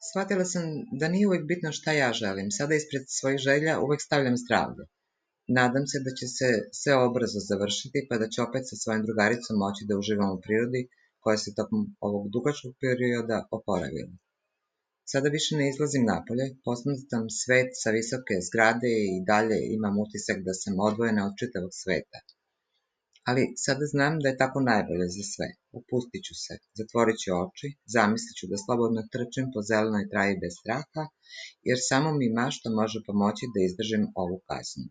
Shvatila sam da nije uvek bitno šta ja želim. Sada ispred svojih želja uvek stavljam zdravlje. Nadam se da će se sve ovo brzo završiti, pa da ću opet sa svojim drugaricom moći da uživam u prirodi koja se tokom ovog dugačkog perioda oporavila. Sada više ne izlazim napolje, posmatram svet sa visoke zgrade i dalje imam utisak da sam odvojena od čitavog sveta. Ali sada znam da je tako najbolje za sve. Opustit ću se, zatvorit ću oči, zamislit ću da slobodno trčim po zelenoj travi bez straha, jer samo mi mašta može pomoći da izdržim ovu kaznu.